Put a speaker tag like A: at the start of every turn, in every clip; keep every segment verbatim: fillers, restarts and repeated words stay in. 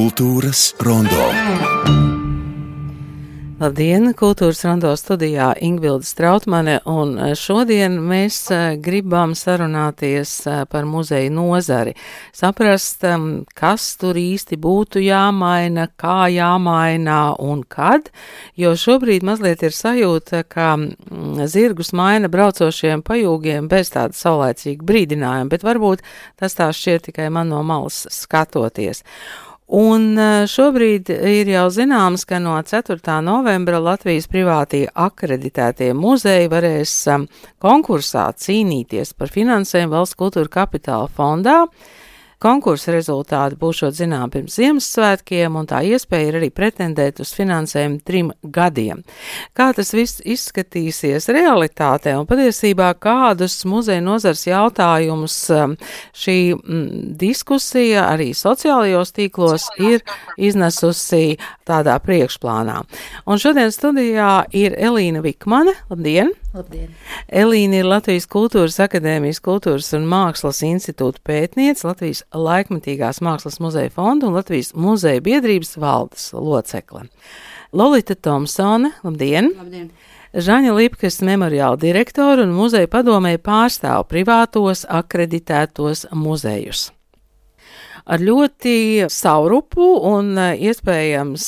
A: Kultūras rondo.
B: Labdien, Kultūras rondo studijā Ingvilde Strautmane, un šodien mēs gribam sarunāties par muzeju nozari. Saprast, kas tur īsti būtu jāmaina, kā jāmaina un kad, jo šobrīd mazliet ir sajūta, ka zirgus maina braucošiem pajūgiem bez tāda saulaicīga brīdinājuma, bet varbūt tas tā šķiet tikai man no malas skatoties. Un šobrīd ir jau zināms, ka no ceturtā novembra Latvijas privātie akreditētie muzeji varēs konkursā cīnīties par finansējumu Valsts kultūra kapitāla fondā. Konkursa rezultāti būšot zinām pirms Ziemassvētkiem, un tā iespēja ir arī pretendēt uz finansējumu trim gadiem. Kā tas viss izskatīsies realitātē, un patiesībā kādus muzeja nozars jautājumus šī m, diskusija arī sociālajos tīklos ir iznesusi tādā priekšplānā. Un šodien studijā ir Elīna Vikmane. Labdien!
C: Labdien!
B: Elīna ir Latvijas Kultūras akadēmijas Kultūras un Mākslas institūta pētniece, Latvijas laikmetīgās mākslas muzeja fonda un Latvijas muzeja biedrības valdes locekle. Lolita Tomsone, labdien!
C: Labdien!
B: Žaņa Lipkas memoriāla direktora un muzeja padomēja pārstāv privātos akreditētos muzejus. Ar ļoti saurupu un iespējams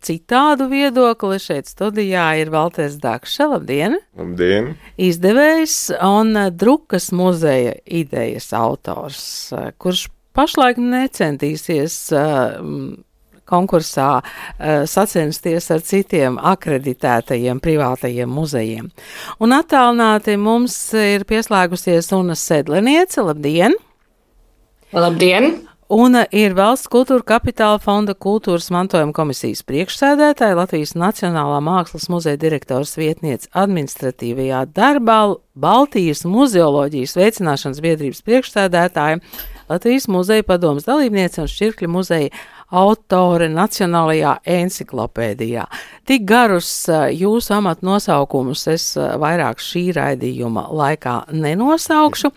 B: citādu viedokli šeit studijā ir Valters Dakša. Labdien!
D: Labdien!
B: Izdevējs un Drukas muzeja idejas autors, kurš pašlaik necentīsies konkursā sacensties ar citiem akreditētajiem privātajiem muzejiem. Un attālināti mums ir pieslēgusies Una Sedleniece. Labdien!
E: Labdien!
B: Un ir Valsts kultūra kapitāla fonda kultūras mantojuma komisijas priekšsēdētāja, Latvijas Nacionālā mākslas muzeja direktors vietniece administratīvajā darbā, Baltijas muzeoloģijas veicināšanas biedrības priekšsēdētāja, Latvijas muzeja padomes dalībniece un Šķirkļa muzeja autore Nacionālajā enciklopēdijā. Tik garus jūsu amatu nosaukumus es vairāk šī raidījuma laikā nenosaukšu,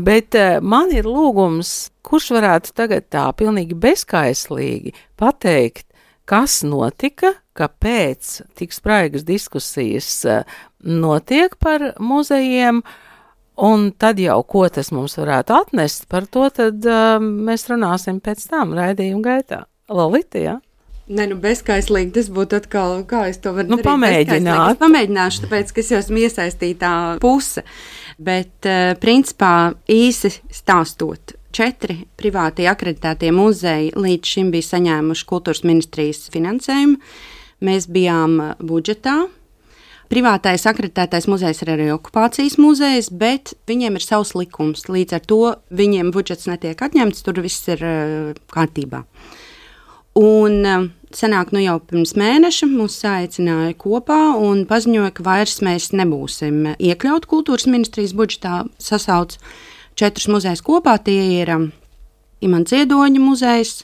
B: bet man ir lūgums, kurš varētu tagad tā pilnīgi bezkaislīgi pateikt, kas notika, kāpēc tik spraigas diskusijas notiek par muzejiem, un tad jau, ko tas mums varētu atnest, par to tad uh, mēs runāsim pēc tam raidījuma gaitā. Lolita, jā?
C: Ne, nu bezkaislīgi, tas būtu atkal, kā es to varu
B: nu,
C: darīt
B: pamēģināt.
C: Es pamēģināšu, tāpēc, ka es jau esmu iesaistītā puse, bet uh, principā īsi stāstot, četri privātie akreditētie muzeji līdz šim bija saņēmuši kultūras ministrijas finansējumu. Mēs bijām budžetā. Privātais akreditētais muzejs ir arī okupācijas muzejs, bet viņiem ir savs likums. Līdz ar to viņiem budžets netiek atņemts, tur viss ir uh, kārtībā. Un uh, senāk nu jau pirms mēneša mūs saicināja kopā un paziņoja, ka vairs mēs nebūsim iekļaut kultūras ministrijas budžetā, sasauc četrus muzejus kopā. Tie ir um, Imants Ziedoņa muzejs,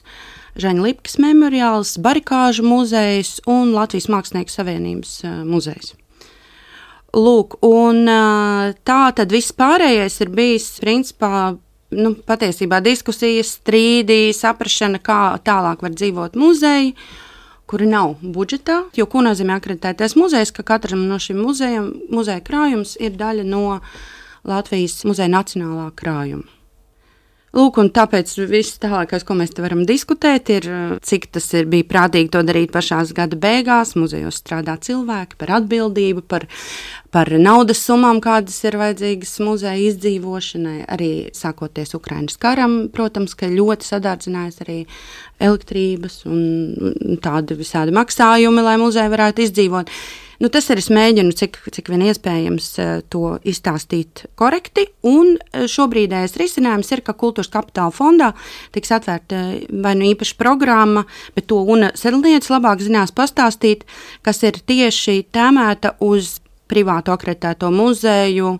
C: Žaņa Lipkas memoriāls, Barikāžu muzejs un Latvijas Mākslinieku savienības uh, muzejs. Lūk, un tā tad viss pārējais ir bijis, principā, nu, patiesībā diskusijas, strīdi, saprašana, kā tālāk var dzīvot muzeji, kuri nav budžetā, jo ko nozīmē akreditētais muzejs, ka katram no šiem muzejiem, muzeja krājums ir daļa no Latvijas muzeja nacionālā krājuma. Lūk, un tāpēc viss tālākais, ko mēs te varam diskutēt, ir, cik tas ir bija prātīgi to darīt pašās gada beigās, muzejos strādā cilvēki par atbildību, par, par naudas summām, kādas ir vajadzīgas muzeja izdzīvošanai, arī sākoties Ukrainas karam, protams, ka ļoti sadārdzinājās arī elektrības un tādi visādi maksājumi, lai muzeja varētu izdzīvot. Nu, tas ir, es mēģinu, cik, cik vien iespējams to izstāstīt korekti, un šobrīdējais risinājums ir, ka Kultūras kapitāla fondā tiks atvērta vai nu īpaša programma, bet to Una Sedleniece labāk zinās pastāstīt, kas ir tieši tēmēta uz privātu akreditēto muzeju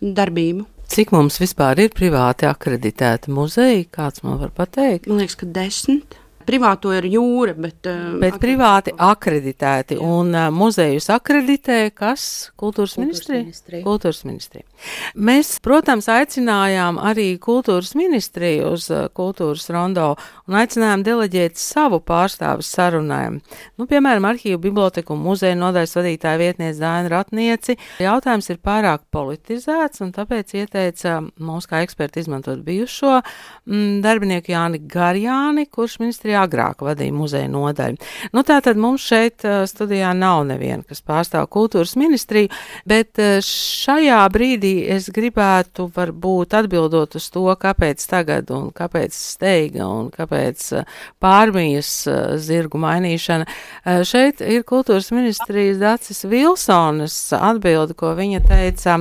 C: darbību.
B: Cik mums vispār ir privāti akreditēti muzeji? Kāds man var pateikt?
C: Man liekas, ka desmit. privāto ir jūra, bet...
B: Bet privāti akreditēti, jā. Un uh, muzejus akreditē, kas? Kultūras, Kultūras ministrija? ministrija? Kultūras ministrija. Mēs, protams, aicinājām arī Kultūras ministriju uz uh, Kultūras rondo un aicinājām deleģēt savu pārstāvu sarunājiem. Nu, piemēram, Arhīvu biblioteku un muzeju nodaļas vadītāja vietniece Daina Ratnieci. Jautājums ir pārāk politizēts, un tāpēc ieteica mums kā eksperti izmantot bijušo mm, darbinieku Jāni Garjāni, kurš ministrijā agrāk vadīja muzeju nodaļu. Nu, tātad mums šeit studijā nav neviena, kas pārstāv Kultūras ministriju, bet šajā brīdī es gribētu varbūt atbildot uz to, kāpēc tagad un kāpēc steiga un kāpēc pārmijas zirgu mainīšana. Šeit ir Kultūras ministrijas Dacis Vilsonas atbildi, ko viņa teica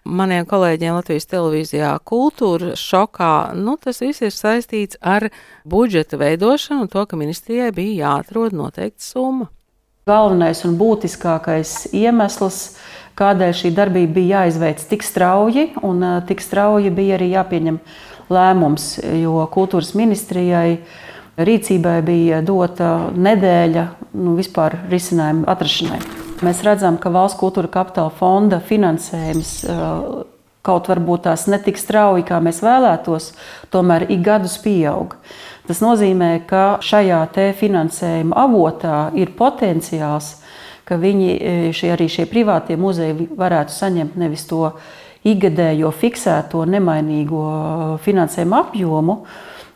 B: maniem kolēģiem Latvijas televīzijā Kultūra šokā. Nu, tas viss ir saistīts ar budžeta veidošanu un to, ka ministrijai bija jāatrod noteikta summa.
A: Galvenais un būtiskākais iemesls, kādēļ šī darbība bija jāizveic tik strauji, un tik strauji bija arī jāpieņem lēmums, jo Kultūras ministrijai rīcībai bija dota nedēļa nu, vispār risinājumu atrašanai. Mēs redzam, ka Valsts kultūra kapitāla fonda finansējums kaut varbūt tās netik strauji, kā mēs vēlētos, tomēr ik gadus pieaug. Tas nozīmē, ka šajā te finansējuma avotā ir potenciāls, ka viņi, šie, arī šie privātie muzeji varētu saņemt nevis to ikgadējo fiksēto nemainīgo finansējumu apjomu,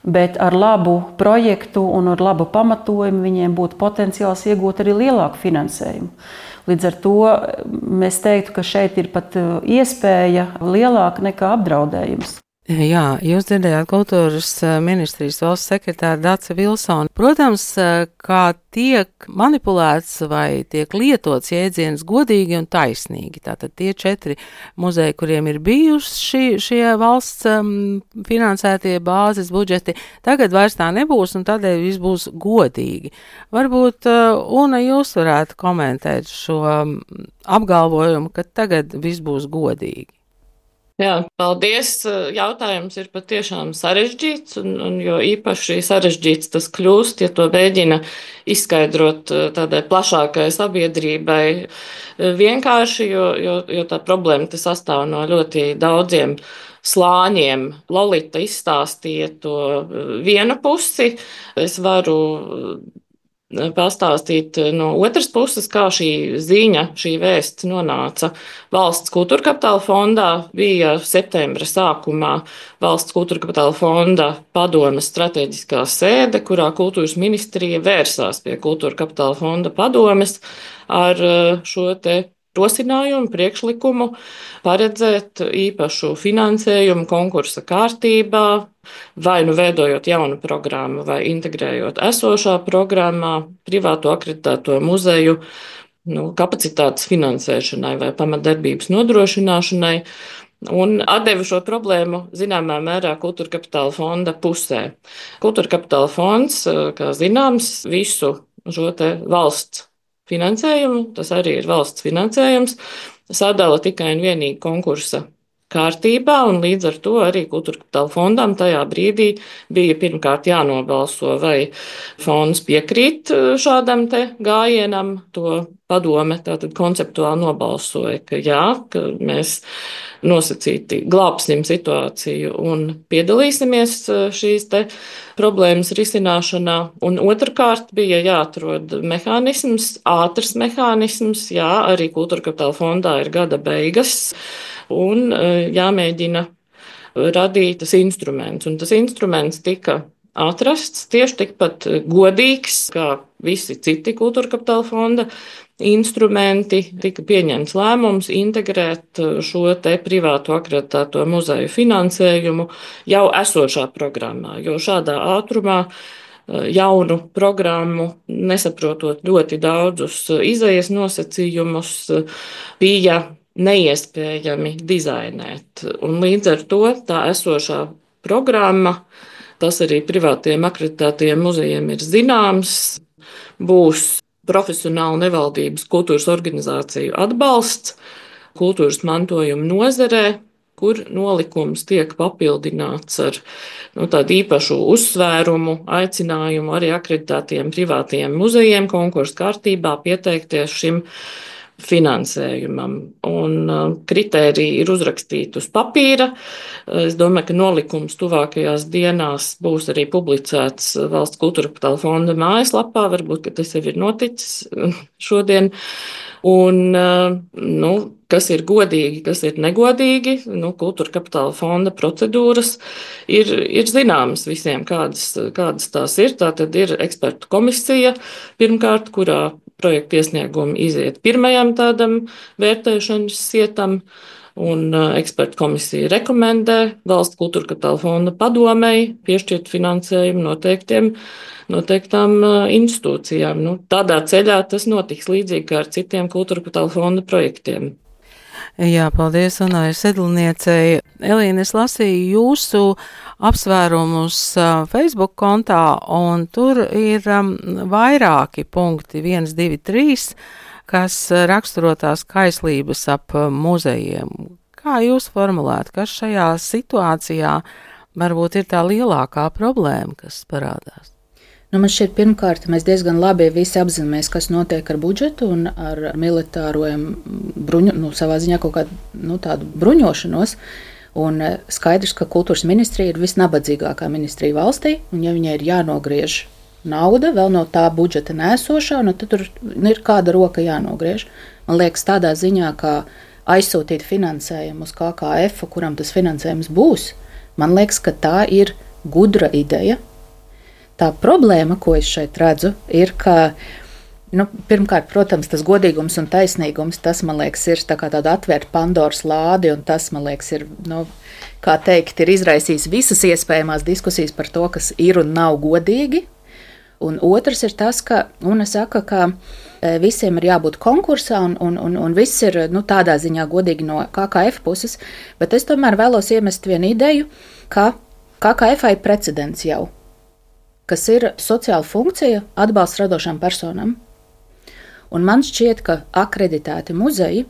A: bet ar labu projektu un ar labu pamatojumu viņiem būtu potenciāls iegūt arī lielāku finansējumu. Līdz ar to mēs teiktu, ka šeit ir pat iespēja lielāka nekā apdraudējums.
B: Jā, jūs dzirdējāt Kultūras ministrijas valsts sekretāru Daci Vilsonu. Protams, kā tiek manipulēts vai tiek lietots jēdziens godīgi un taisnīgi. Tātad tie četri muzeji, kuriem ir bijuši šie, šie valsts um, finansētie bāzes budžeti, tagad vairs tā nebūs un tādēļ viss būs godīgi. Varbūt, uh, Una, jūs varētu komentēt šo um, apgalvojumu, ka tagad viss būs godīgi.
E: Jā, paldies. Jautājums ir patiešām sarežģīts, un, un jo īpaši sarežģīts tas kļūst, ja to mēģina izskaidrot tādai plašākai sabiedrībai vienkārši, jo, jo, jo tā problēma tas sastāv no ļoti daudziem slāņiem. Lolita izstāstīja to vienu pusi, es varu pastāstīt no otras puses, kā šī ziņa, šī vēsts nonāca Valsts kultūra kapitāla fondā. Bija septembra sākumā Valsts kultūra kapitāla fonda padomes strateģiskā sēde, kurā Kultūras ministrija vērsās pie Kultūra kapitāla fonda padomes ar šo te rosinājumu, priekšlikumu paredzēt īpašu finansējumu konkursa kārtībā, vai nu veidojot jaunu programmu, vai integrējot esošā programmā privāto akreditēto muzeju nu, kapacitātes finansēšanai vai pamatdarbības nodrošināšanai, un atdeva šo problēmu zināmā mērā Kultūra kapitāla fonda pusē. Kultūra kapitāla fonds, kā zināms, visu šo te valsts finansējumu, tas arī ir valsts finansējums, sadala tikai un vienīgi konkursa kārtībā, un līdz ar to arī Kultūra kapitāla fondam tajā brīdī bija pirmkārt jānobalso, vai fonds piekrīt šādam te gājienam. To padome tātad konceptuāli nobalsoja, ka jā, ka mēs nosacīti glābsim situāciju un piedalīsimies šīs te problēmas risināšanā. Un otrkārt bija jāatrod mehānisms, ātrs mehānisms, jā, arī Kultūra kapitāla fondā ir gada beigas, un jāmēģina radīt tas instruments. Un tas instruments tika atrasts tieši tikpat godīgs, kā visi citi Kultūra kapitāla fonda instrumenti. Tika pieņemts lēmums integrēt šo te privātu akreditēto muzeju finansējumu jau esošā programmā, jo šādā ātrumā jaunu programmu, nesaprotot ļoti daudzus izejas nosacījumus, bija neiespējami dizainēt. Un līdz ar to tā esošā programma, tas arī privātiem akreditētajiem muzejiem ir zināms, būs profesionāla nevaldības kultūras organizāciju atbalsts kultūras mantojuma nozarē, kur nolikums tiek papildināts ar nu, tādu īpašu uzsvērumu, aicinājumu arī akreditētiem privātiem muzejiem konkursu kārtībā pieteikties šim finansējumam. Un kritēriji ir uzrakstīti uz papīra. Es domāju, ka nolikums tuvākajās dienās būs arī publicēts Valsts kultūra kapitāla fonda mājaslapā. Varbūt, ka tas jau ir noticis šodien. Un, nu, kas ir godīgi, kas ir negodīgi, nu, kultūra kapitāla fonda procedūras ir, ir zināmas visiem, kādas, kādas tās ir. Tā tad ir ekspertu komisija pirmkārt, kurā projekta iesniegumi iziet pirmajam tādam vērtēšanas sietam, un ekspertu komisija rekomendē Valsts kultūra kapitāla fonda padomei piešķirt finansējumu noteiktiem, noteiktām institūcijām. Nu, tādā ceļā tas notiks līdzīgi kā ar citiem kultūra kapitāla fonda projektiem.
B: Jā, paldies Anai Sedlniecei. Elīne, es lasīju jūsu apsvērumus Facebook kontā, un tur ir um, vairāki punkti, viens, divi, trīs, kas raksturo tās kaislības ap muzejiem. Kā jūs formulētu, kas šajā situācijā varbūt ir tā lielākā problēma, kas parādās?
D: Nu, man šķiet, pirmkārt, mēs diezgan labi visi apzināmies, kas notiek ar budžetu un ar militārojiem bruņu, nu, savā ziņā kaut kādu nu, tādu bruņošanos. Un skaidrs, ka kultūras ministrija ir visnabadzīgākā ministrija valstī, un ja viņai ir jānogriež nauda vēl no tā budžeta nēsošā, nu, tad tur ir kāda roka jānogriež. Man liekas, tādā ziņā, kā aizsūtīt finansējumu uz K K F, kuram tas finansējums būs, man liekas, ka tā ir gudra ideja. Tā problēma, ko es šeit redzu, ir, ka, nu, pirmkārt, protams, tas godīgums un taisnīgums, tas, man liekas, ir tā kā tāda atvērta Pandoras lādi, un tas, man liekas, ir, nu, kā teikt, ir izraisījis visas iespējamās diskusijas par to, kas ir un nav godīgi. Un otrs ir tas, ka, un es saku, ka visiem ir jābūt konkursā, un, un, un, un viss ir, nu, tādā ziņā godīgi no K K F puses, bet es tomēr vēlos iemest vienu ideju, ka K K F ir precedents jau, kas ir sociāla funkcija atbalsts radošām personām. Un man šķiet, ka akreditēti muzeji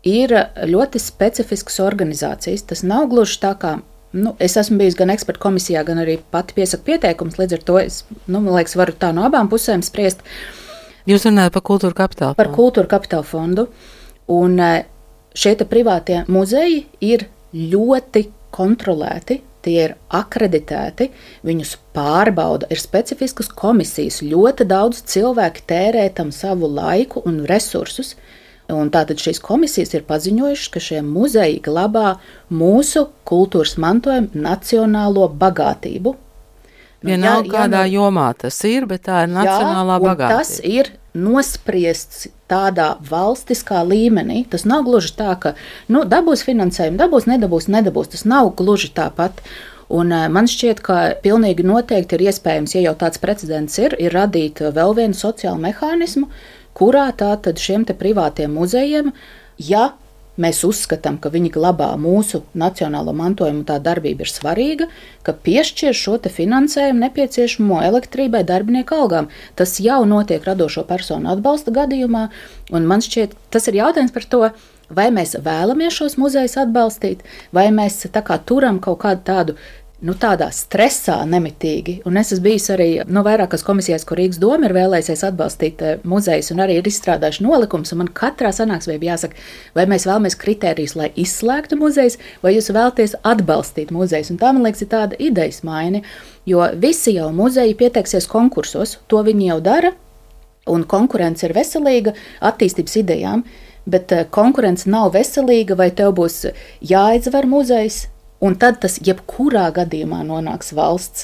D: ir ļoti specifiskas organizācijas. Tas nav gluži tā kā, nu, es esmu bijis gan ekspertu komisijā, gan arī pati piesaku pieteikums, līdz ar to es, nu, man liekas, varu tā no abām pusēm spriest.
B: Jūs runājat par kultūra kapitāla fondu?
D: Par kultūra kapitāla fondu. Un šie te privātie muzeji ir ļoti kontrolēti. Tie ir akreditēti, viņus pārbauda, ir specifiskas komisijas, ļoti daudz cilvēki tērē tam savu laiku un resursus. Un tātad šīs komisijas ir paziņojušas, ka šie muzeji glabā mūsu kultūras mantojumu nacionālo bagātību.
B: Vienalga, nu, kādā nu, jomā tas ir, bet tā ir nacionālā jā, bagātība. Tas
D: ir nospriests tādā valstiskā līmenī. Tas nav gluži tā, ka nu, dabūs finansējumu, dabūs, nedabūs, nedabūs. Tas nav gluži tāpat. Un man šķiet, ka pilnīgi noteikti ir iespējams, ja jau tāds precedents ir, ir radīt vēl vienu sociālu mehānismu, kurā tātad šiem te privātiem muzejiem, ja mēs uzskatām, ka viņi glabā mūsu nacionālo mantojumu, tā darbība ir svarīga, ka piešķir šo te finansējumu nepieciešamo elektrībai, darbinieku algām. Tas jau notiek radošo personu atbalsta gadījumā, un man šķiet, tas ir jautājums par to, vai mēs vēlamies šos muzejus atbalstīt, vai mēs tā kā turam kaut kādu tādu, nu tādā stresā nemitīgi. Un es esmu bijis arī no vairākas komisijās, kur Rīgas doma ir vēlējusies atbalstīt muzejus un arī ir izstrādājuši nolikums, un man katrā sanāksmē bija jāsaka, vai mēs vēlamies kritērijus, lai izslēgtu muzejus, vai jūs vēlaties atbalstīt muzejus. Un tā, man liekas, ir tāda idejas maiņa, jo visi jau muzeji pieteiksies konkursos, to viņi jau dara, un konkurence ir veselīga attīstības idejām, bet konkurence nav veselīga, vai tev būs jāizvar muzejs, un tad tas jebkurā gadījumā nonāks valsts,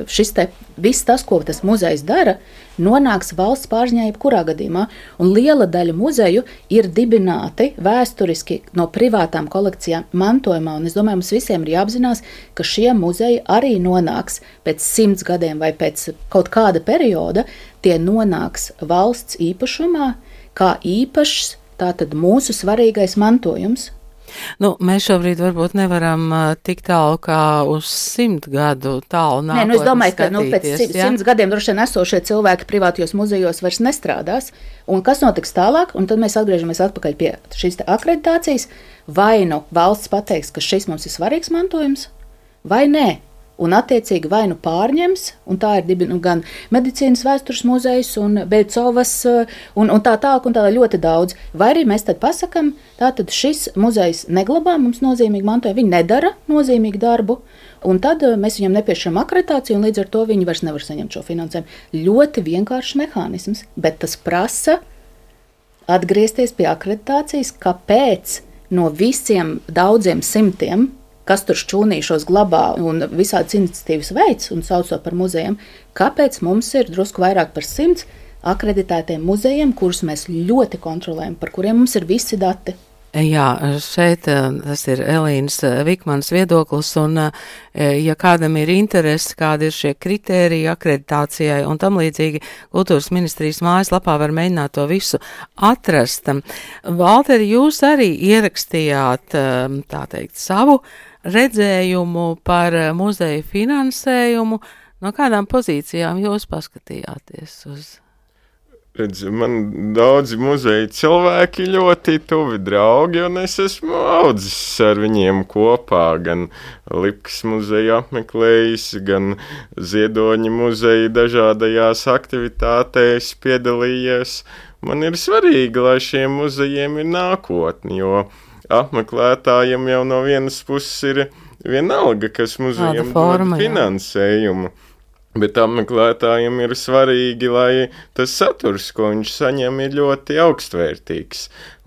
D: šis te, viss tas, ko tas muzejs dara, nonāks valsts pārziņā jebkurā gadījumā, un liela daļa muzeju ir dibināti vēsturiski no privātām kolekcijām mantojumā, un es domāju, mums visiem ir jāapzinās, ka šie muzeji arī nonāks pēc simts gadiem vai pēc kaut kāda perioda, tie nonāks valsts īpašumā, kā īpašs, tātad mūsu svarīgais mantojums.
B: Nu, mēs šobrīd varbūt nevaram uh, tik tālu kā uz simt gadu tālu nākotni.
D: Nē, nu es domāju, ka nu, pēc
B: skatīties, ja?
D: simts gadiem droši vien esošie cilvēki privātajos muzejos vairs nestrādās. Un kas notiks tālāk? Un tad mēs atgriežamies atpakaļ pie šīs akreditācijas. Vai nu valsts pateiks, ka šis mums ir svarīgs mantojums, vai nē. Un attiecīgi vai nu pārņems, un tā ir dibi, nu, gan medicīnas vēstures muzejs un Beļcovas un, un tā tālāk un tā ļoti daudz. Vai arī mēs tad pasakam, tātad šis muzejs neglabā mums nozīmīgi mantojumu, viņi nedara nozīmīgu darbu, un tad mēs viņam nepiešķiram akreditāciju, un līdz ar to viņi vairs nevar saņemt šo finansējumu. Ļoti vienkāršs mehānisms, bet tas prasa atgriezties pie akreditācijas, kāpēc no visiem daudziem simtiem, kas tur šķūnīšos glabā un visādas iniciatīvas veids un sauc to par muzejiem, kāpēc mums ir drusku vairāk par simts akreditētiem muzejiem, kurus mēs ļoti kontrolējam, par kuriem mums ir visi dati.
B: Jā, šeit tas ir Elīnas Vikmanas viedoklis, un ja kādam ir interesi, kādi ir šie kritēriji akreditācijai un tam līdzīgi, Kultūras ministrijas mājaslapā var mēģināt to visu atrast. Valteri, jūs arī ierakstījāt, tā teikt, savu redzējumu par muzeju finansējumu. No kādām pozīcijām jūs paskatījāties uz?
F: Redz, man daudzi muzeja cilvēki ļoti tuvi draugi, un es esmu audzis ar viņiem kopā, gan Lipkas muzeju apmeklējis, gan Ziedoņa muzeja dažādajās aktivitātēs piedalījies. Man ir svarīgi, lai šiem muzejiem ir nākotni, jo apmeklētājiem jau no vienas puses ir vienalga, kas muzejiem dod finansējumu. Bet apmeklētājiem ir svarīgi, lai tas saturs, ko viņš saņem, ir ļoti augstvērtīgs.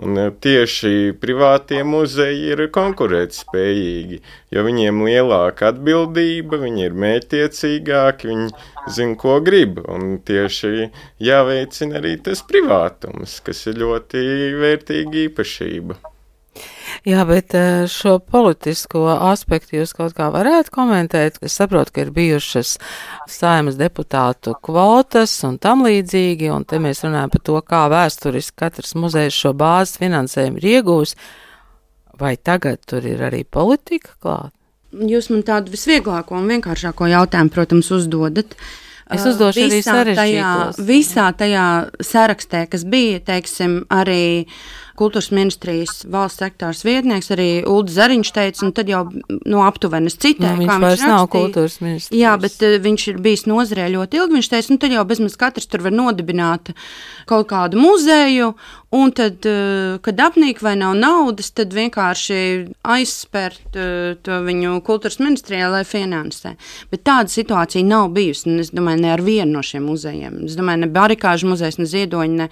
F: Un tieši privātie muzeji ir konkurētspējīgi, jo viņiem lielāka atbildība, viņi ir mērķtiecīgāki, viņi zina, ko grib. Un tieši jāveicina arī tas privātums, kas ir ļoti vērtīga īpašība.
B: Jā, bet šo politisko aspektu jūs kaut kā varētu komentēt? Es saprotu, ka ir bijušas Saeimas deputātu kvotas un tam līdzīgi, un te mēs runājam par to, kā vēsturiski katrs muzejs šo bāzes finansējumu ir iegūs. Vai tagad tur ir arī politika klāt?
C: Jūs man tādu visvieglāko un vienkāršāko jautājumu, protams, uzdodat.
B: Es uzdošu arī sarežģītos.
C: Visā tajā sarakstē, kas bija, teiksim, arī Kultūras ministrijas valsts sektārs vietnieks, arī Ulds Zariņš teica, un tad jau no aptuvenes citē,
B: nu,
C: kā
B: viņš
C: viņš
B: nav
C: rakstīja.
B: Kultūras ministrs.
C: Jā, bet uh, viņš ir bijis nozarē ļoti ilgi, viņš teica, nu tad jau bezmaz katrs tur var nodibināt kaut kādu muzeju, un tad, uh, kad apnīk vai nav naudas, tad vienkārši aizspērt uh, to viņu Kultūras ministrijā, lai finansē. Bet tāda situācija nav bijusi, un es domāju, ne ar vienu no šiem muzejiem. Es domāju, ne Barikāžu muzejs, ne Ziedoņa, ne,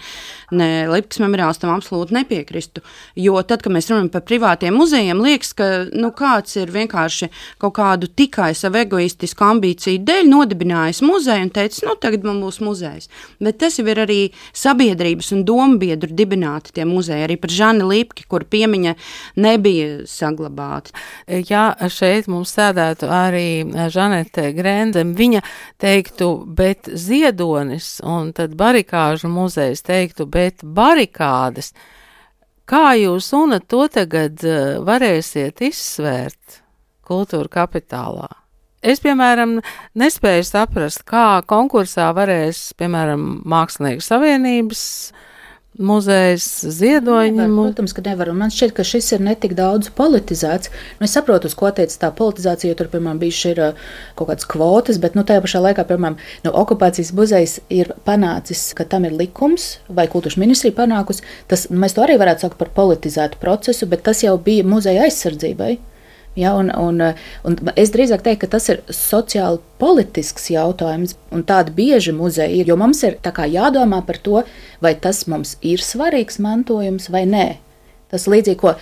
C: ne Lipkas memoriāls tam absolūti nepiekrist. Piekristu, jo tad, kad mēs runājam par privātiem muzejiem, liekas, ka nu, kāds ir vienkārši kaut kādu tikai savu egoistisku ambīciju dēļ nodibinājis muzeju un teicis, nu, tagad man būs muzejs. Bet tas jau ir arī sabiedrības un dombiedru dibināti tie muzeji, arī par Žani Lipki, kur piemiņa nebija saglabāta.
B: Jā, šeit mums sēdētu arī Žanete Grende, viņa teiktu, bet Ziedonis, un tad Barikāžu muzejs teiktu, bet barikādes. Kā jūs un to tagad varēsiet izsvērt kultūra kapitālā? Es, piemēram, nespēju saprast, kā konkursā varēs, piemēram, Mākslinieku savienības muzejs, Ziedoņa.
D: Nevar, protams, ka nevar. Un man šķiet, ka šis ir netik daudz politizēts. Nu, es saprotu, uz ko teica tā politizācija, jo tur, piemēram, bijuši ir kaut kādas kvotas, bet, nu, tajā pašā laikā, piemēram, no okupācijas muzejs ir panācis, ka tam ir likums, vai Kultūras ministrija panākusi. Tas, mēs to arī varētu saukt par politizētu procesu, bet tas jau bija muzeja aizsardzībai. Ja, un, un, un es drīzāk teiktu, ka tas ir sociāli politisks jautājums, un tādi bieži muzeji ir, jo mums ir tā kā jādomā par to, vai tas mums ir svarīgs mantojums vai nē. Tas līdzīgi, ko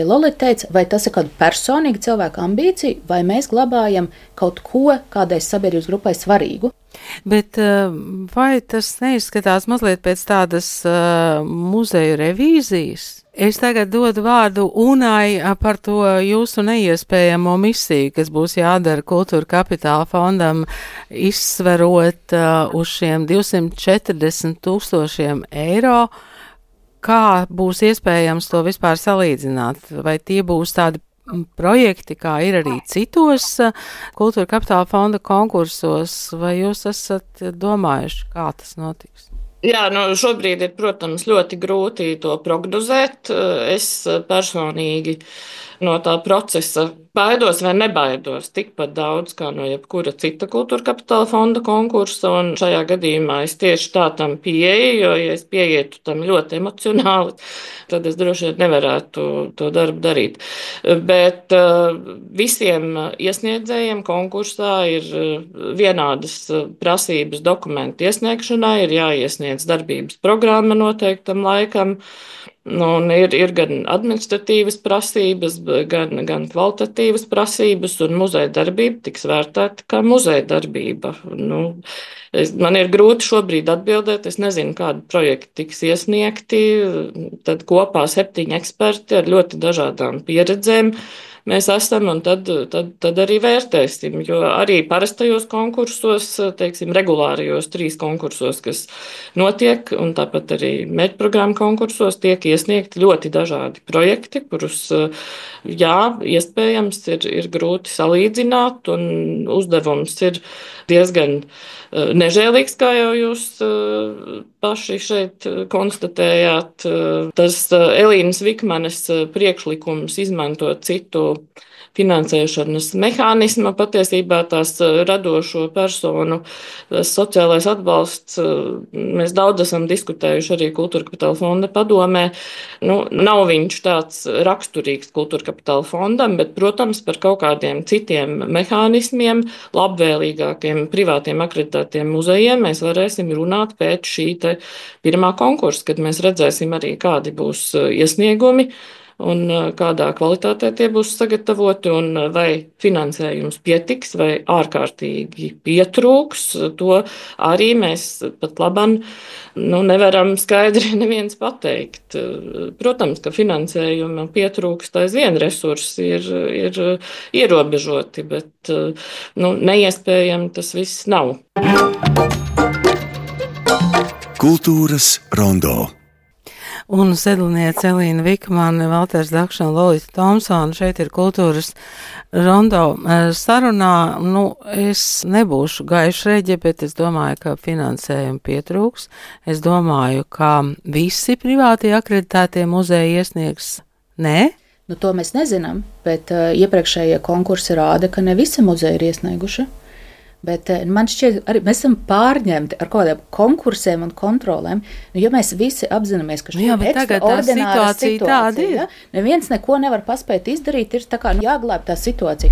D: Lolita teica, vai tas ir kāda personīga cilvēka ambīcija, vai mēs glabājam kaut ko kādai sabiedrības grupai svarīgu.
B: Bet vai tas neizskatās mazliet pēc tādas uh, muzeju revīzijas? Es tagad dodu vārdu Unai par to jūsu neiespējamo misiju, kas būs jādara Kultūra kapitāla fondam, izsverot uh, uz šiem divsimt četrdesmit tūkstošiem eiro. kā būs iespējams to vispār salīdzināt? Vai tie būs tādi projekti, kā ir arī citos Kultūra Kapitāla fonda konkursos, vai jūs esat domājuši, kā tas notiks?
E: Jā, nu šobrīd ir, protams, ļoti grūti to prognozēt. Es personīgi no tā procesa baidos vai nebaidos tikpat daudz kā no jebkura cita Kultūra Kapitāla fonda konkursa, un šajā gadījumā es tieši tā tam pieeju, jo, ja es pieietu tam ļoti emocionāli, tad es droši vien nevarētu to darbu darīt. Bet visiem iesniedzējiem konkursā ir vienādas prasības dokumentu iesniegšanai, ir jāiesniedz darbības programma noteiktam laikam. Nu, ir, ir gan administratīvas prasības, gan, gan kvalitatīvas prasības, un muzeja darbība tiks vērtēta kā muzeja darbība. Nu, es, man ir grūti šobrīd atbildēt, es nezinu, kādi projekti tiks iesniegti. Tad kopā septiņi eksperti ar ļoti dažādām pieredzēm mēs esam, un tad, tad, tad arī vērtēsim. Jo arī parastajos konkursos, teiksim, regulārajos trīs konkursos, kas notiek, un tāpat arī mērķprogrammu konkursos tiek iesniegti ļoti dažādi projekti, kurus, jā, iespējams ir, ir grūti salīdzināt, un uzdevums ir diezgan nežēlīgs, kā jau jūs paši šeit konstatējāt. Tas Elīnas Vikmanes priekšlikums izmantot citu finansēšanas mehānisma, patiesībā tās radošo personu sociālais atbalsts. Mēs daudz esam diskutējuši arī Kultūra Kapitāla fonda padomē. Nu, nav viņš tāds raksturīgs Kultūra Kapitāla fondam, bet, protams, par kaut kādiem citiem mehānismiem, labvēlīgākiem privātiem akreditētiem muzejiem mēs varēsim runāt pēc šī te pirmā konkursa, kad mēs redzēsim arī, kādi būs iesniegumi un kādā kvalitātē tie būs sagatavoti, un vai finansējums pietiks vai ārkārtīgi pietrūks. To arī mēs pat labam nu, nevaram skaidri neviens pateikt. Protams, ka finansējuma pietrūkst aizvien, resursi ir, ir ierobežoti, bet nu, neiespējami tas viss nav.
G: Kultūras rondo.
B: Un sedlniece Elīna Vikmane, Valters Dakša un Lolita Tomsona šeit ir Kultūras rondo sarunā. Nu, es nebūšu gaišreģe, bet es domāju, ka finansējumu pietrūks. Es domāju, ka visi privātie akreditētie muzeji iesniegs. Nē?
D: Nu, to mēs nezinām, bet uh, iepriekšējie konkursi rāda, ka ne visi muzeji ir iesnieguši. Bet man šķiet, arī mēs esam pārņemti ar kaut kādiem konkursiem un kontrolēm. Nu, ja mēs visi apzināmies, ka šī ir ekstraordināra situācija, ja? Neviens neko nevar paspēt izdarīt, ir tā kā nu, jāglāb tā situācija.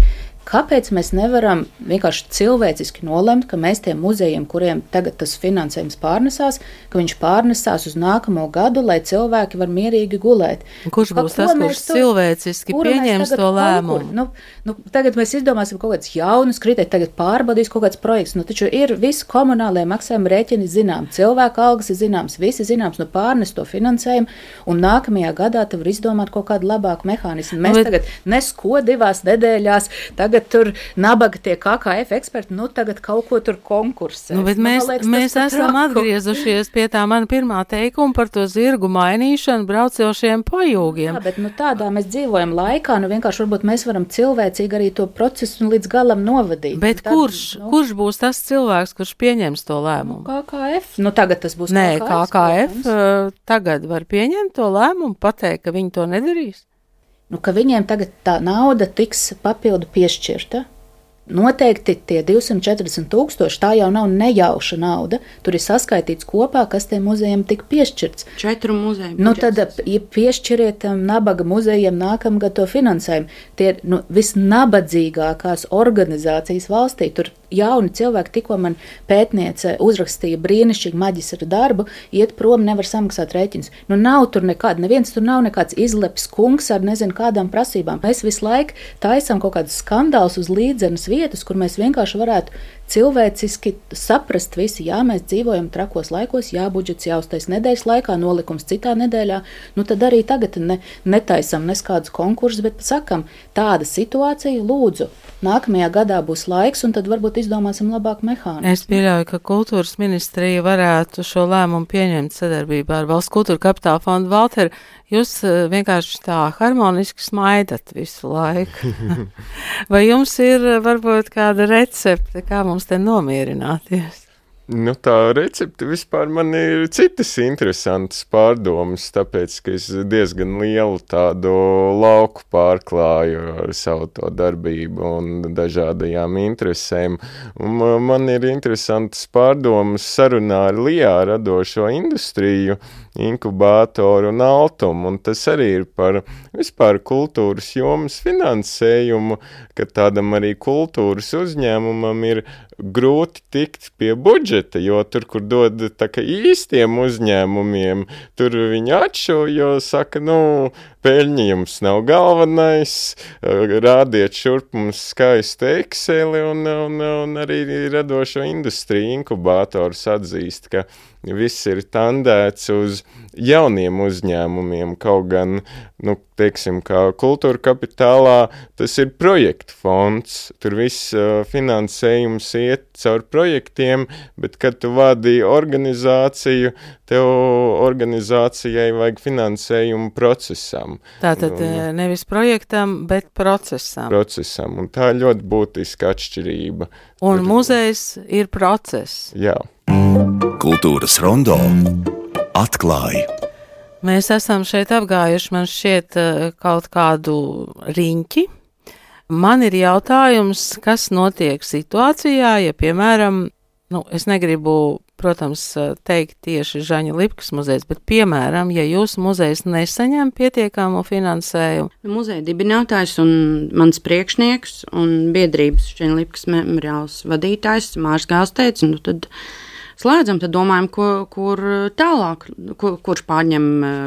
D: Kāpēc mēs nevaram vienkārši cilvēciski nolemt, ka mēs tiem muzejiem, kuriem tagad tas finansējums pārnesās, ka viņš pārnesās uz nākamo gadu, lai cilvēki var mierīgi gulēt?
B: Kurš būs tas, kurš to, cilvēciski pieņems to lēmumu?
D: Nu, nu, tagad mēs izdomāsim kaut kāds jaunus kritērijus, tagad pārbaudīs kaut kāds projekts. Nu, taču ir visi komunālie maksājuma rēķini zinām, cilvēku algas ir zināms, visi zināms, nu pārnes to finansējumu, un nākamajā gadā tu var izdomāt kaut kādu labāku mehānismu. Mēs Bet... tagad nesko divās nedēļās, tagad tur nabaga tie K K F eksperti, nu tagad kaut ko tur konkursē.
B: Nu, bet nu, mēs, liekas, mēs esam traku. atgriezušies pie tā mana pirmā teikuma par to zirgu mainīšanu braucošiem pajūgiem.
D: Jā, bet nu tādā mēs dzīvojam laikā, nu vienkārši varbūt mēs varam cilvēcīgi arī to procesu līdz galam novadīt.
B: Bet tad, kurš, nu, kurš būs tas cilvēks, kurš pieņems to lēmumu?
D: Nu, K K F. Nu tagad tas būs
B: Nē,
D: K K F.
B: K K F uh, tagad var pieņemt to lēmumu, pateikt, ka viņi to nedarīs?
D: Nu, ka viņiem tagad tā nauda tiks papildu piešķirta. Noteikti tie divsimt četrdesmit tūkstoši, tā jau nav nejauša nauda. Tur ir saskaitīts kopā, kas tiem muzejiem tika piešķirts.
C: Četru muzeju.
D: Nu, tad ja piešķiriet nabaga muzejiem nākamgad to finansējumu. Tie ir nu, visnabadzīgākās organizācijas valstī. Tur jauni cilvēki, tikko man pētniece uzrakstīja brīnišķīgu maģistra darbu, iet prom, nevar samaksāt rēķinus. Nu, nav tur nekāda, neviens tur nav nekāds izlepis kungs ar nezinu kādām prasībām. Mēs visu laiku taisam kaut kādus skandālus uz līdzenas vietas, kur mēs vienkārši varētu cilvēciski saprast visi, jā, mēs dzīvojam trakos laikos, jā, budžets jāuztais nedēļas laikā, nolikums citā nedēļā, nu tad arī tagad ne, netaisam neskādus konkursus, bet sakam, tāda situācija, lūdzu, nākamajā gadā būs laiks, un tad varbūt izdomāsim labāk mehānismu.
B: Es pieļauju, ka kultūras ministrija varētu šo lēmumu pieņemt sadarbībā ar Valsts kultūra kapitāla fondu. Valter, jūs vienkārši tā harmoniski smaidat visu laiku. Vai jums ir varbūt kāda recepte, kā mums te nomierināties?
F: Nu, tā recepte vispār man ir citas interesantas pārdomas, tāpēc, ka es diezgan lielu tādu lauku pārklāju ar savu to darbību un dažādajām interesēm. Un man ir interesantas pārdomas sarunā ar Lijā radošo industriju, inkubātoru un Altumu, un tas arī ir par vispār kultūras jomas finansējumu, ka tādam arī kultūras uzņēmumam ir grūti tikt pie budžeta, jo tur, kur dod tā kā īstiem uzņēmumiem, tur viņi atšo, jo saka, nu, peļņa jums nav galvenais, rādiet šurp mums skaistu Exceli, un, un, un arī radošo industriju inkubātors atzīst, ka viss ir tandēts uz jauniem uzņēmumiem, kaut gan, nu, teiksim, kā kultūra kapitālā, tas ir projektu fonds, tur viss uh, finansējums iet caur projektiem, bet, kad tu vadi organizāciju, tev organizācijai vajag finansējumu procesam.
B: Tātad
F: un,
B: nevis projektam, bet procesam.
F: Procesam, un tā ir ļoti būtiska atšķirība.
B: Un muzejs ir process.
F: Jā.
G: Kultūras rondo atklāja.
B: Mēs esam šeit apgājuši, man šķiet, kaut kādu riņķi. Man ir jautājums, kas notiek situācijā, ja, piemēram, nu, es negribu, protams, teikt tieši Žaņa Lipkas muzejs, bet, piemēram, ja jūsu muzejs nesaņem pietiekamu finansējumu.
C: Muzeja dibinātājs un mans priekšnieks un biedrības Žaņa Lipkas memoriāls vadītājs Mārs Gāls teica, nu tad slēdzam, tad domājam, ko, kur tālāk, kur, kurš pārņem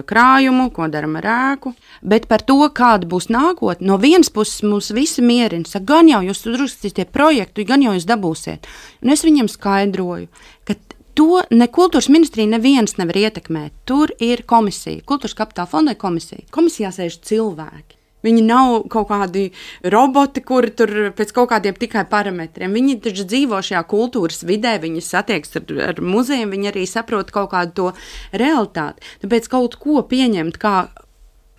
C: krājumu, ko daram ar ēku. Bet par to, kāda būs nākotne, no vienas puses mums visi mierina, saka, gan jau jūs uzrakstīsiet projektu, gan jau jūs dabūsiet. Un es viņam skaidroju, ka to ne kultūras ministrija neviens nevar ietekmēt. Tur ir komisija, kultūras kapitāla fonda komisija. Komisijā sēž cilvēki. Viņi nav kaut kādi roboti, kuri tur pēc kaut kādiem tikai parametriem. Viņi taču dzīvo šajā kultūras vidē, viņi satiekas ar, ar muzejiem, viņi arī saprot kaut kādu to realitāti. Tāpēc kaut ko pieņemt, kā,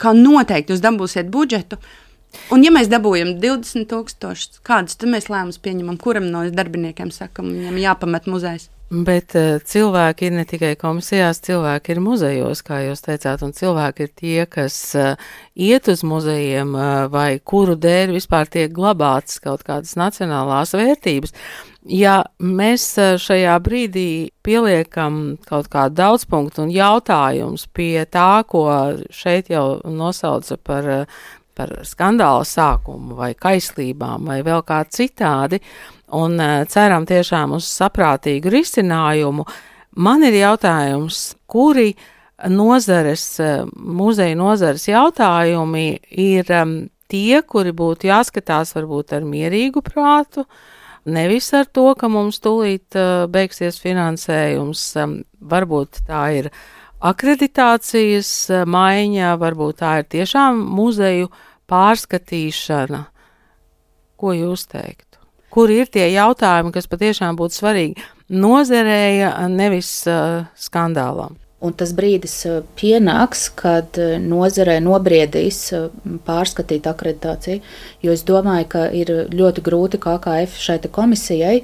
C: kā noteikti jūs dabūsiet budžetu. Un ja mēs dabūjam divdesmit tūkstošus, kādus tad mēs lēmumus pieņemam, kuram no darbiniekiem sakam, viņam jāpamet muzejs?
B: Bet uh, cilvēki ir ne tikai komisijās, cilvēki ir muzejos, kā jūs teicāt, un cilvēki ir tie, kas uh, iet uz muzejiem uh, vai kuru dēļ vispār tiek glabātas kaut kādas nacionālās vērtības. Ja mēs uh, šajā brīdī pieliekam kaut kādu daudzpunktu un jautājums pie tā, ko šeit jau nosauca par, uh, par skandāla sākumu vai kaislībām vai vēl kā citādi, un ceram tiešām uz saprātīgu risinājumu. Man ir jautājums, kuri nozares, muzeja nozares jautājumi ir tie, kuri būtu jāskatās varbūt ar mierīgu prātu, nevis ar to, ka mums tūlīt beigsies finansējums. Varbūt tā ir akreditācijas maiņa, varbūt tā ir tiešām muzeju pārskatīšana. Ko jūs teiktu? Kur ir tie jautājumi, kas patiešām būtu svarīgi nozarēja, nevis uh, skandālam?
D: Un tas brīdis pienāks, kad nozarē nobriedīs pārskatīt akreditāciju, jo es domāju, ka ir ļoti grūti K K F šai komisijai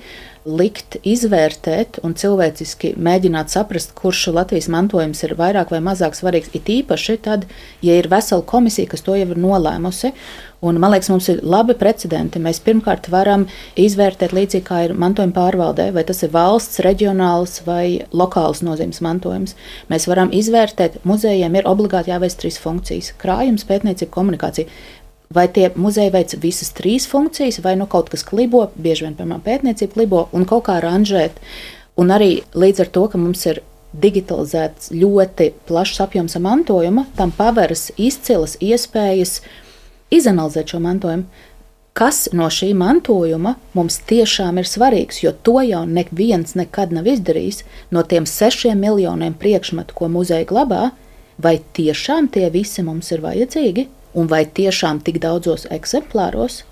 D: likt izvērtēt un cilvēciski mēģināt saprast, kurš Latvijas mantojums ir vairāk vai mazāk svarīgs. It īpaši tad, ja ir vesela komisija, kas to jau ir nolēmusi. Un, man liekas, mums ir labi precedenti. Mēs pirmkārt varam izvērtēt līdzīgi, kā ir mantojuma pārvaldē, vai tas ir valsts, reģionāls vai lokāls nozīmes mantojums. Mēs varam izvērtēt, muzejiem ir obligāti jāveic trīs funkcijas - krājums, pētniecība, komunikācija. Vai tie muzeji veic visas trīs funkcijas, vai nu kaut kas klibo, bieži vien, piemēram, pētniecība klibo, un kaut kā ranžēt. Un arī līdz ar to, ka mums ir digitalizēts ļoti plašs apjoms mantojuma, tam paveras izcilas iespējas izanalizēt šo mantojumu. kas no šī mantojuma mums tiešām ir svarīgs, jo to jau neviens nekad nav izdarījis no tiem sešiem miljoniem priekšmetu, ko muzeja glabā, vai tiešām tie visi mums ir vajadzīgi, un vai tiešām tik daudzos eksemplāros?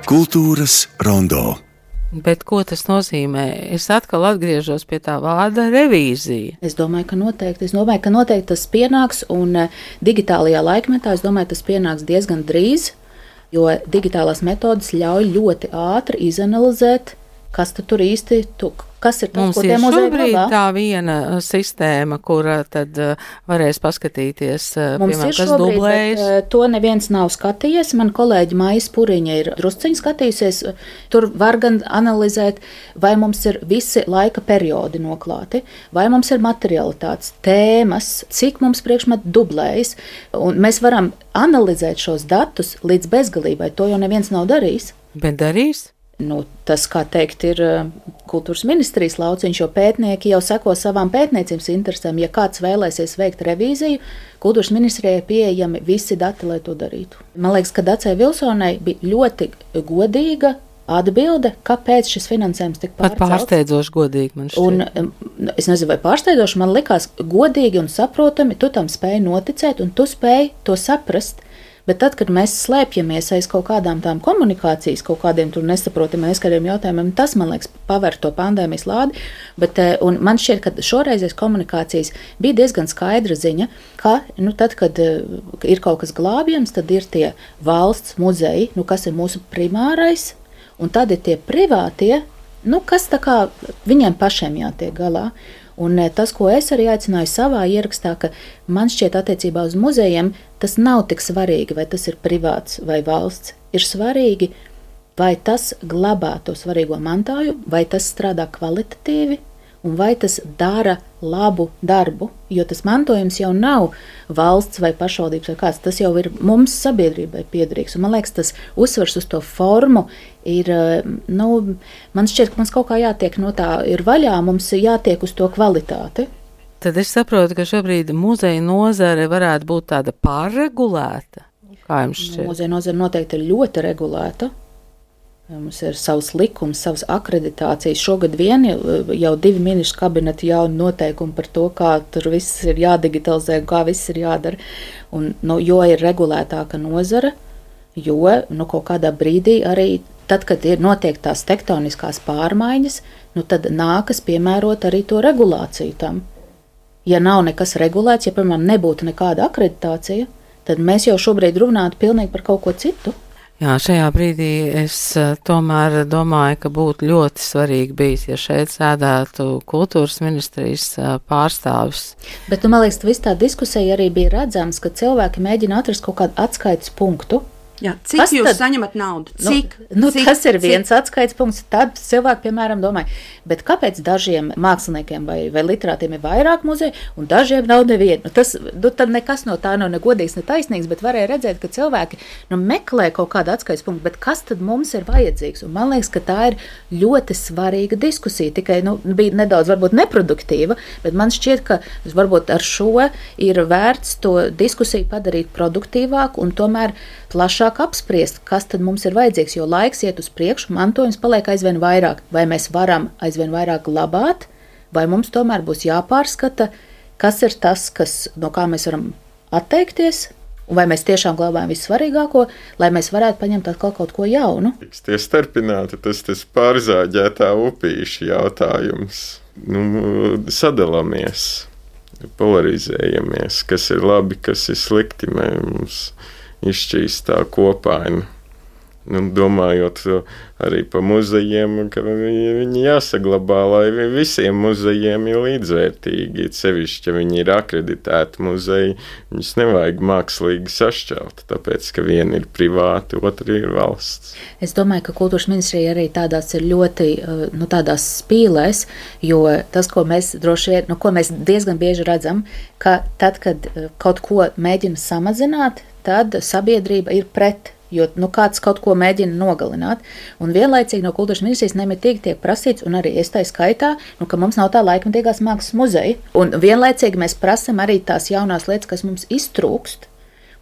G: Kultūras rondo.
B: Bet ko tas nozīmē? Es atkal atgriežos pie tā vārda revīzija.
D: Es domāju, ka noteikti. Es domāju, ka noteikti tas pienāks, un digitālajā laikmetā es domāju, tas pienāks diezgan drīz, jo digitālās metodas ļauj ļoti ātri izanalizēt, kas tur īsti tu, kas ir tas,
B: mums
D: ko
B: ir
D: tie muzeji
B: šobrīd
D: glabā.
B: Tā viena sistēma, kura tad uh, varēs paskatīties, uh,
D: Mums
B: piemēram,
D: ir
B: kas
D: šobrīd,
B: dublējas.
D: bet, uh, to neviens nav skatījies. Man kolēģi Maija Puriņa ir drusciņi skatījusies. Tur var gan analizēt, vai mums ir visi laika periodi noklāti, vai mums ir materialitātes, tēmas, cik mums priekšmeti dublējas. Un mēs varam analizēt šos datus līdz bezgalībai. To jau neviens nav darījis.
B: Bet darīs?
D: Nu, tas, kā teikt, ir kultūras ministrijas lauciņš, jo pētnieki jau seko savām pētniecības interesēm. Ja kāds vēlēsies veikt revīziju, kultūras ministrijai ir pieejami visi dati, lai to darītu. Man liekas, ka Dacei Vilsonai bija ļoti godīga atbilde, kāpēc šis finansējums tika pārcelts.
B: Pat pārsteidzoši godīgi man šķiet.
D: Un, es nezinu, vai pārsteidzoši, man likās godīgi un saprotami, tu tam spēji noticēt un tu spēji to saprast. Bet tad, kad mēs slēpjamies aiz kaut kādām tām komunikācijas, kaut kādiem tur nesaprotamiem, aizkariem jautājumiem, tas, man liekas, paver to pandēmijas lādi. Bet, un man šķiet, ka šoreizēs komunikācijas bija diezgan skaidra ziņa, ka, nu, tad, kad ir kaut kas glābjams, tad ir tie valsts muzeji, nu, kas ir mūsu primārais, un tad ir tie privātie, nu, kas tā kā viņiem pašiem jātiek galā. Un tas, ko es arī aicināju savā ierakstā, ka man šķiet attiecībā uz muzejiem, tas nav tik svarīgi, vai tas ir privāts vai valsts. Ir svarīgi, vai tas glabā to svarīgo mantāju, vai tas strādā kvalitatīvi, un vai tas dara labu darbu. Jo tas mantojums jau nav valsts vai pašvaldības vai kāds, tas jau ir mums sabiedrībai piederīgs. Un man liekas, tas uzsvars uz to formu ir, nu, man šķiet, ka mums kaut kā jātiek no tā ir vaļā, mums jātiek uz to kvalitāti.
B: Tad es saprotu, ka šobrīd muzeja nozare varētu būt tāda pārregulēta. Kā jums šķiet?
D: Muzeja nozare noteikti ir ļoti regulēta. Mums ir savs likums, savas akreditācijas. Šogad vien jau divi ministru kabineti jauni noteikumi par to, kā tur viss ir jādigitalizē un kā viss ir jādara. Un, nu, jo ir regulētāka nozara, jo nu, kaut kādā brīdī arī tad, kad ir notiek tās tektoniskās pārmaiņas, nu, tad nākas piemērot arī to regulāciju tam. Ja nav nekas regulēts, ja, piemēram, nebūtu nekāda akreditācija, tad mēs jau šobrīd runātu pilnīgi par kaut ko citu.
B: Jā, šajā brīdī es tomēr domāju, ka būtu ļoti svarīgi bijis, ja šeit sēdētu kultūras ministrijas pārstāvis.
D: Bet, man liekas, viss tā diskusija arī bija redzams, ka cilvēki mēģina atrast kaut kādu atskaites punktu.
C: Jā, cik
D: Kas
C: jūs
D: tad?
C: saņemat naudu? Cik?
D: Nu, nu,
C: cik
D: tas ir viens
C: cik?
D: atskaites punkts. Tad cilvēki, piemēram, domā, bet kāpēc dažiem māksliniekiem vai, vai literātiem ir vairāk muzeju, un dažiem nav neviena? Nu, tas nu, tad nekas no tā nav ne godīgs, ne taisnīgs, bet varēja redzēt, ka cilvēki nu, meklē kaut kādu atskaites punktu, bet kas tad mums ir vajadzīgs? Un man liekas, ka tā ir ļoti svarīga diskusija. Tikai nu, bija nedaudz varbūt neproduktīva, bet man šķiet, ka varbūt ar šo ir vērts to diskusiju padarīt produktīvāku un tomēr plašāk apspriest, kas tad mums ir vajadzīgs, jo laiks iet uz priekšu, mantojums paliek aizvien vairāk. Vai mēs varam aizvien vairāk glabāt, vai mums tomēr būs jāpārskata, kas ir tas, kas, no kā mēs varam atteikties, un vai mēs tiešām glabājam vissvarīgāko, lai mēs varētu paņemt atkal kaut ko jaunu.
F: Tiks tie starpināti, tas tas pārzāģētā upīša jautājums. Nu, sadalāmies, polarizējamies, kas ir labi, kas ir slikti, mums izšķīst tā kopaina. Nu, domājot arī par muzejiem, ka viņi jāsaglabā, lai visiem muzejiem ir līdzvērtīgi. Sevišķi, ja viņi ir akreditēti muzeji, viņus nevajag mākslīgi sašķelt, tāpēc, ka viena ir privāta, otra ir valsts.
D: Es domāju, ka kultūras ministrija arī tādās ir ļoti, nu, tādās spīlēs, jo tas, ko mēs droši vien, nu, ko mēs diezgan bieži redzam, ka tad, kad kaut ko mēģina samazināt, tad sabiedrība ir pret. Jo nu, kāds kaut ko mēģina nogalināt. Un vienlaicīgi no kultūras ministrijas nemitīgi tiek prasīts, un arī es tā skaitā, nu, ka mums nav tā laikmatīgās mākslas muzeja. Un vienlaicīgi mēs prasam arī tās jaunās lietas, kas mums iztrūkst.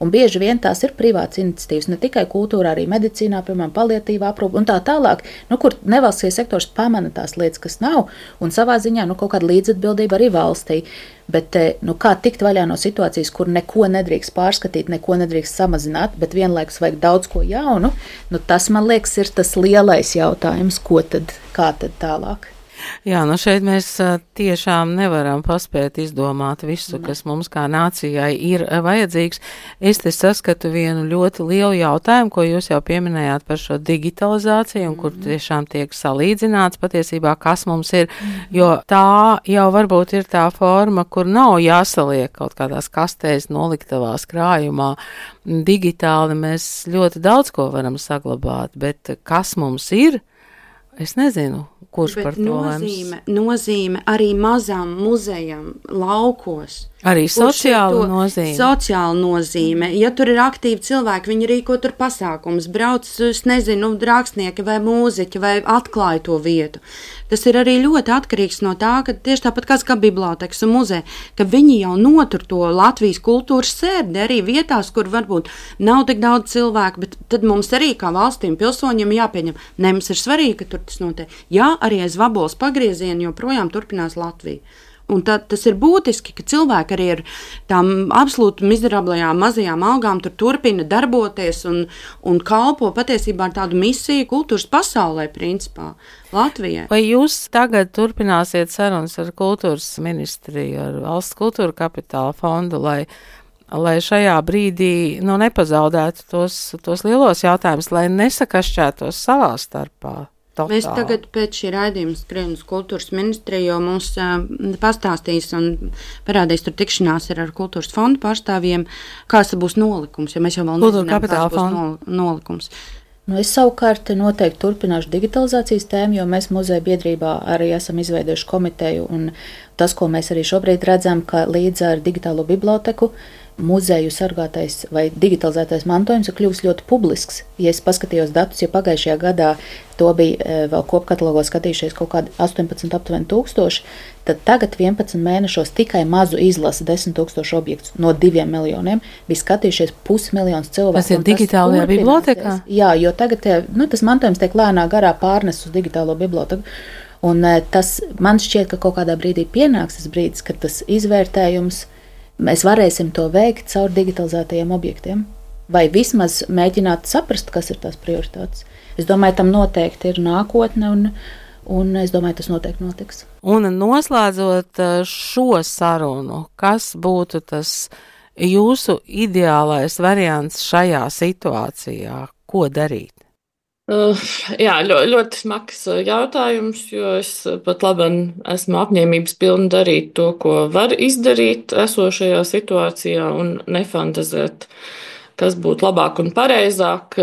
D: Un bieži vien tās ir privātas iniciatīvas, ne tikai kultūrā, arī medicīnā, piemēram, paliatīvā aprūpe un tā tālāk, nu, kur nevalstiskais sektors pamana tās lietas, kas nav, un savā ziņā nu, kaut kāda līdzatbildība arī valstī. Bet nu, kā tikt vaļā no situācijas, kur neko nedrīkst pārskatīt, neko nedrīkst samazināt, bet vienlaikus vajag daudz ko jaunu, nu, tas, man liekas, ir tas lielais jautājums, ko tad, kā tad tālāk.
B: Jā, nu šeit mēs tiešām nevaram paspēt izdomāt visu, kas mums kā nācijai ir vajadzīgs. Es te saskatu vienu ļoti lielu jautājumu, ko jūs jau pieminējāt par šo digitalizāciju, un kur tiešām tiek salīdzināts patiesībā, kas mums ir, jo tā jau varbūt ir tā forma, kur nav jāsaliek kaut kādās kastēs noliktavās krājumā. Digitāli mēs ļoti daudz ko varam saglabāt, bet kas mums ir, es nezinu. Kurš
C: Bet
B: par to
C: nozīme,
B: lems?
C: nozīme arī mazām muzejām laukos.
B: Arī sociāla nozīme.
C: Sociāla nozīme. Ja tur ir aktīvi cilvēki, viņi rīko tur pasākums, brauc, es nezinu, rakstnieki vai mūziķi vai atklāja to vietu. Tas ir arī ļoti atkarīgs no tā, ka tieši tāpat kā, kā bibliotekas un muzeja, ka viņi jau notur to Latvijas kultūras sērdi arī vietās, kur varbūt nav tik daudz cilvēku, bet tad mums arī kā valstīm pilsoņiem jāpieņem. Ne, mums ir svarīgi, ka tur tas notiek. Jā, arī aiz vaboles pagrieziena joprojām turpinās Latvija. Un tā, tas ir būtiski, ka cilvēki arī ar tām absolūti mizerablajām mazajām algām tur turpina darboties un, un kalpo patiesībā ar tādu misiju kultūras pasaulē, principā, Latvijai.
B: Vai jūs tagad turpināsiet sarunas ar kultūras ministriju, ar valsts kultūra kapitāla fondu, lai, lai šajā brīdī nu, nepazaudētu tos, tos lielos jautājumus, lai nesakašķētos savā starpā? Totāli.
C: Mēs tagad pēc šī raidījuma skrienam uz kultūras ministriju, jo mums uh, pastāstīs un parādīs tur tikšanās ar, ar kultūras fondu pārstāvjiem, kāds būs nolikums, jo mēs jau vēl
B: Kultūra
C: nezinām, kāds būs
B: fonda.
C: nol, nolikums.
D: Nu, es savukārt noteikti turpināšu digitalizācijas tēmu, jo mēs muzeja biedrībā arī esam izveidojuši komiteju, un tas, ko mēs arī šobrīd redzam, ka līdz ar digitālo biblioteku muzeju sargātais vai digitalizētais mantojums ir kļuvis ļoti publisks. Ja es paskatījos datus, ja pagājušajā gadā to bija vēl kopkatalogos skatījušies kaut kādi astoņpadsmit aptuveni tūkstoši, tad tagad vienpadsmit mēnešos tikai mazu izlasi desmit tūkstoši objektus no diviem miljoniem bija skatījušies pusmiljons cilvēku.
B: Tas ir digitālajā bibliotekā?
D: Jā, jo tagad nu, tas mantojums tiek lēnā garā pārnes uz digitālo biblioteku. Un tas man šķiet, ka kaut kādā brīdī pienāks tas brīdis, kad tas izvērtējums mēs varēsim to veikt caur digitalizētajiem objektiem. Vai vismaz mēģināt saprast, kas ir tās prioritātes. Es domāju, tam noteikti ir nākotne, un, un es domāju, tas noteikti notiks.
B: Un noslēdzot šo sarunu, kas būtu tas jūsu ideālais variants šajā situācijā? Ko darīt?
E: Uh, jā, ļoti, ļoti smags jautājums, jo es pat labi esmu apņēmības pilna darīt to, ko var izdarīt esošajā situācijā un nefantazēt, kas būtu labāk un pareizāk.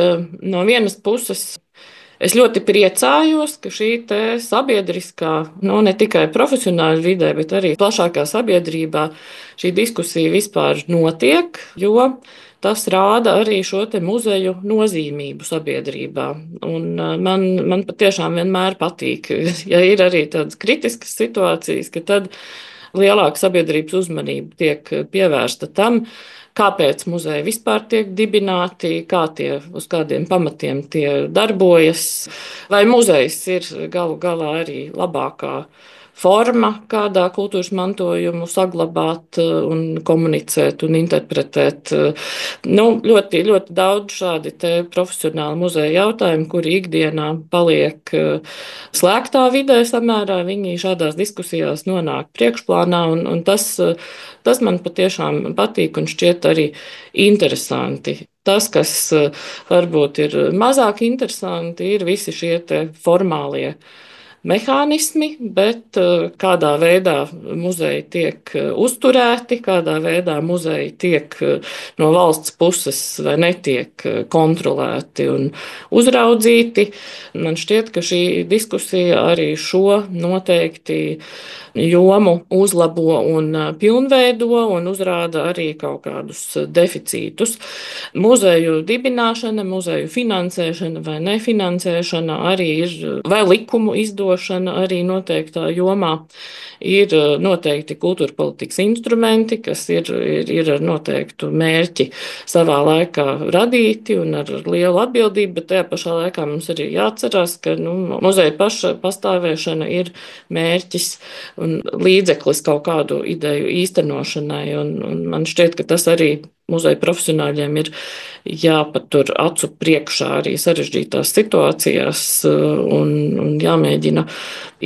E: No vienas puses, es ļoti priecājos, ka šī te sabiedriskā, nu, ne tikai profesionāļu vidē, bet arī plašākā sabiedrībā šī diskusija vispār notiek, jo tas rāda arī šo te muzeju nozīmību sabiedrībā. Un man, man patiešām vienmēr patīk, ja ir arī tādas kritiskas situācijas, ka tad lielāka sabiedrības uzmanība tiek pievērsta tam, kāpēc muzeji vispār tiek dibināti, kā tie, uz kādiem pamatiem tie darbojas, vai muzejs ir galu galā arī labākā forma, kādā kultūras mantojumu saglabāt un komunicēt un interpretēt. Nu, ļoti, ļoti daudz šādi te profesionāli muzeja jautājumi, kuri ikdienā paliek slēgtā vidē samērā, viņi šādās diskusijās nonāk priekšplānā, un, un tas, tas man patiešām patīk un šķiet arī interesanti. Tas, kas varbūt ir mazāk interesanti, ir visi šie te formālie mehānismi, bet kādā veidā muzeji tiek uzturēti, kādā veidā muzeji tiek no valsts puses vai netiek kontrolēti un uzraudzīti. Man šķiet, ka šī diskusija arī šo noteikti jomu uzlabo un pilnveido un uzrāda arī kaut kādus deficītus. Muzeju dibināšana, muzeju finansēšana vai nefinansēšana arī ir vai likumu izdod rīkošana arī noteiktā jomā. Ir noteikti kultūra politikas instrumenti, kas ir, ir, ir ar noteiktu mērķi savā laikā radīti un ar lielu atbildību, bet tajā pašā laikā mums arī jāatcerās, ka nu, muzeja paša pastāvēšana ir mērķis un līdzeklis kaut kādu ideju īstenošanai. Un, un man šķiet, ka tas arī muzeja profesionāļiem ir jāpatur acu priekšā arī sarežģītās situācijās un, un jāmēģina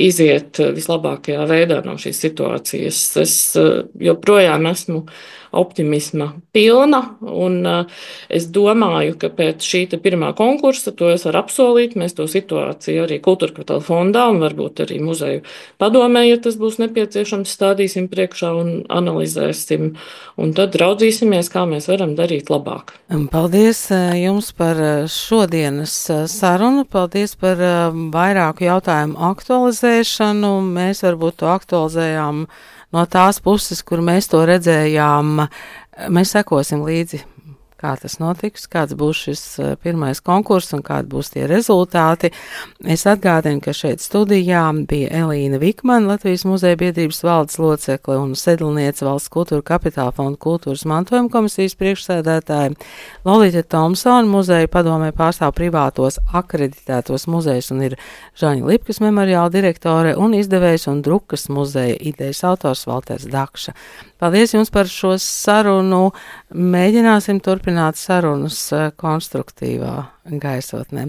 E: iziet vislabākajā veidā no šīs situācijas. Es joprojām esmu optimisma pilna, un es domāju, ka pēc šī pirmā konkursa, to es varu apsolīt, mēs to situāciju arī Kultūra Kapitāla fondā un varbūt arī muzeju padomē, ja tas būs nepieciešams, stādīsim priekšā un analizēsim, un tad raudzīsimies, kā mēs varam darīt labāk.
B: Paldies jums par šodienas sarunu, paldies par vairāku jautājumu aktualizēšanu. Mēs varbūt to aktualizējām no tās puses, kur mēs to redzējām. Mēs sekosim līdzi, kā tas notiks, kāds būs šis pirmais konkurss un kādi būs tie rezultāti. Es atgādinu, ka šeit studijā bija Elīna Vikmana, Latvijas muzeja biedrības valdes locekle un sedlniece Valsts Kultūra Kapitāla fonda kultūras mantojuma komisijas priekšsēdētāja, Lolita Tomsona, muzeja padomē pārstāv privātos akreditētos muzejus un ir Žaņa Lipkas memoriāla direktore un izdevējs un drukas muzeja idejas autors Valters Dakša. Paldies jums par šo sarunu. Mēģināsim turpināt sarunas konstruktīvā gaisotnē.